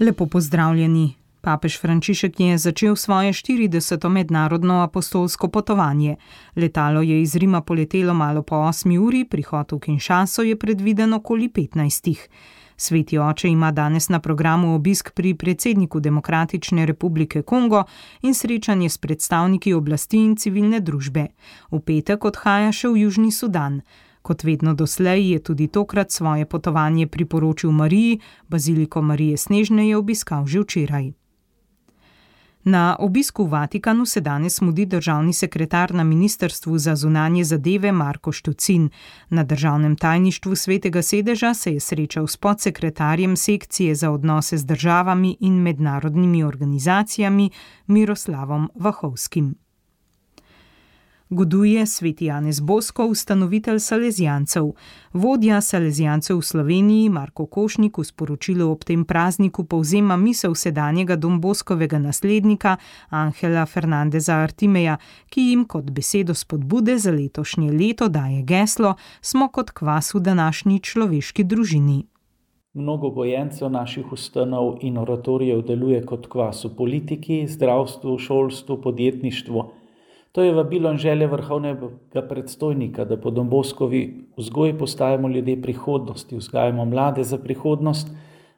Lepo pozdravljeni. Papež Frančišek je začel svoje 40. mednarodno apostolsko potovanje. Letalo je iz Rima poletelo malo po 8 uri, prihod v Kinshaso je predviden okoli 15. Sveti oče ima danes na programu obisk pri predsedniku Demokratične republike Kongo in srečanje s predstavniki oblasti in civilne družbe. V petek odhaja še v Južni Sudan. Kot vedno doslej je tudi tokrat svoje potovanje priporočil Mariji, baziliko Marije Snežne je obiskal že včeraj. Na obisku v Vatikanu se danes mudi državni sekretar na Ministrstvu za zunanje zadeve Marko Štucin. Na državnem tajništvu Svetega sedeža se je srečal s podsekretarjem sekcije za odnose z državami in mednarodnimi organizacijami Miroslavom Vahovskim. Goduje sveti Janez Bosko, ustanovitelj Salezijancev. Vodja Salezijancev v Sloveniji Marko Košnik v sporočilu ob tem prazniku povzema misel sedanjega Don Boskovega naslednika Angela Fernandeza Artimeja, ki jim kot besedo spodbude za letošnje leto daje geslo: smo kot kvas v današnji človeški družini. Mnogo gojencev naših ustanov in oratorijev deluje kot kvas v politiki, zdravstvu, šolstvu, podjetništvu. To je vabilo in želja vrhovnega predstojnika, da po Don Boskovi vzgoji postajamo ljudje prihodnosti, vzgajamo mlade za prihodnost,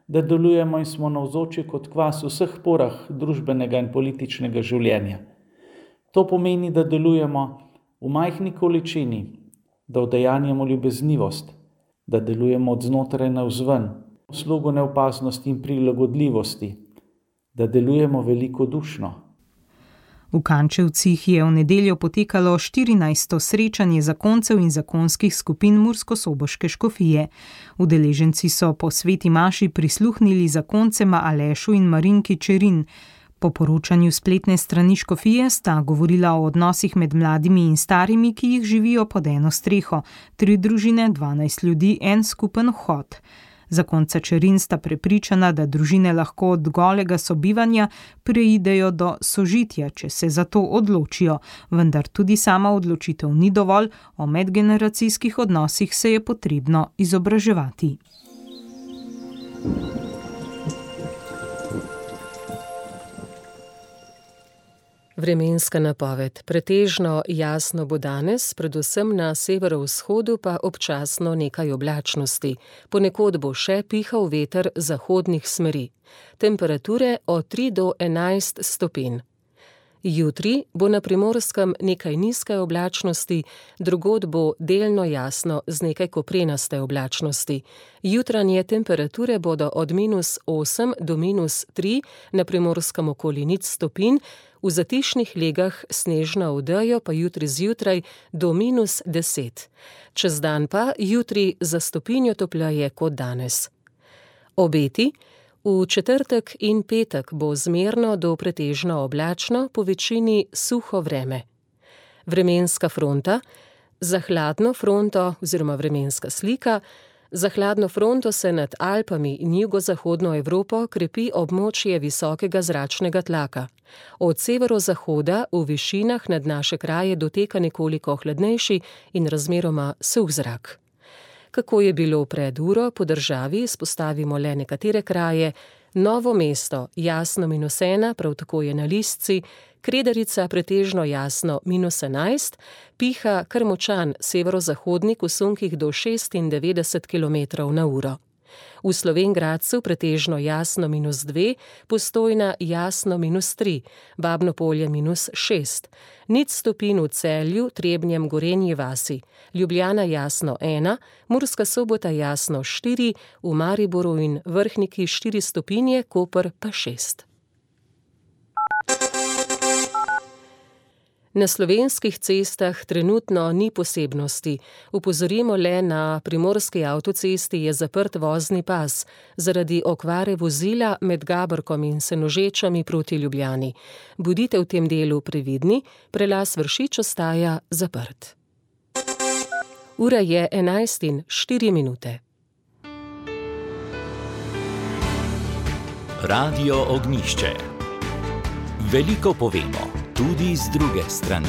da delujemo in smo navzoči kot kvas v vseh porah družbenega in političnega življenja. To pomeni, da delujemo v majhni količini, da udejanjamo ljubeznivost, da delujemo od znotraj navzven, v slogu neopaznosti in prilagodljivosti, da delujemo velikodušno. V Kančevcih je v nedeljo potekalo 14. srečanje zakoncev in zakonskih skupin Murskosoboške škofije. Udeleženci so po sveti maši prisluhnili zakoncema Alešu in Marinki Čerin. Po poročanju spletne strani škofije sta govorila o odnosih med mladimi in starimi, ki jih živijo pod eno streho, 3 družine, 12 ljudi, en skupen vhod. Zakonca Čerin sta prepričana, da družine lahko od golega sobivanja preidejo do sožitja, če se za to odločijo, vendar tudi sama odločitev ni dovolj, o medgeneracijskih odnosih se je potrebno izobraževati. Vremenska napoved. Pretežno jasno bo danes, predvsem na severovzhodu pa občasno nekaj oblačnosti. Ponekod bo še pihal veter zahodnih smeri. Temperature od 3 do 11 stopinj. Jutri bo na Primorskem nekaj nizke oblačnosti, drugod bo delno jasno z nekaj koprenaste oblačnosti. Jutranje temperature bodo od -8 do -3, na Primorskem okoli 0 stopinj, v zatišnih legah snežno odejo pa jutri zjutraj do -10. Čez dan pa jutri za stopinjo topleje kot danes. Obeti. V četrtek in petek bo zmerno do pretežno oblačno, po večini suho vreme. Vremenska fronta. Za hladno fronto oziroma vremenska slika. Za hladno fronto se nad Alpami in jugozahodno Evropo krepi območje visokega zračnega tlaka. Od severozahoda v višinah nad naše kraje doteka nekoliko hladnejši in razmeroma suh zrak. Kako je bilo pred uro, po državi izpostavimo le nekatere kraje. Novo mesto jasno -1, prav tako je na Listci, Kredarica pretežno jasno -11, piha kar močan severozahodnik v sunkih do 96 km/h. V Slovenj Gradcu pretežno jasno -2, Postojna jasno -3, Babno Polje -6, 0 stopinj v Celju, Trebnjem, Gorenji vasi, Ljubljana jasno 1, Murska Sobota jasno 4, v Mariboru in Vrhniki 4 stopinje, Koper pa 6. Na slovenskih cestah trenutno ni posebnosti. Opozorimo le, na primorski avtocesti je zaprt vozni pas zaradi okvare vozila med Gabrkom in Senožečami proti Ljubljani. Bodite v tem delu previdni, prelaz Vršič ostaja zaprt. Ura je 11:04. Radio Ognjišče. Veliko povemo, tudi z druge strani.